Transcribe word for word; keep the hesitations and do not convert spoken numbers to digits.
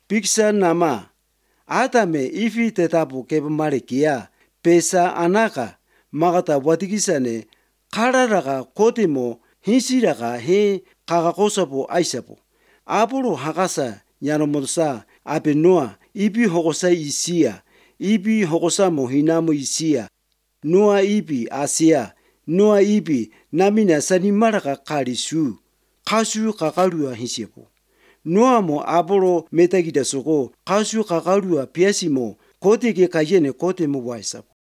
Piksa nama atame ifi tetapu kepamalekia pesa anaka makata watigisane kararaka kotimo hinsiraka he kakakosapo aisapo. Apolo hakasa nyanomosa apenoa ipi hokosa isia ipi hokosamo hinamo isia noa ipi asia noa ipi namina sanimaraka kalisu kasu kakalua hinsepo. Noa mo Apolo metagida soko kasu kakalua piasimo kote ke kayene kote mo waisapo.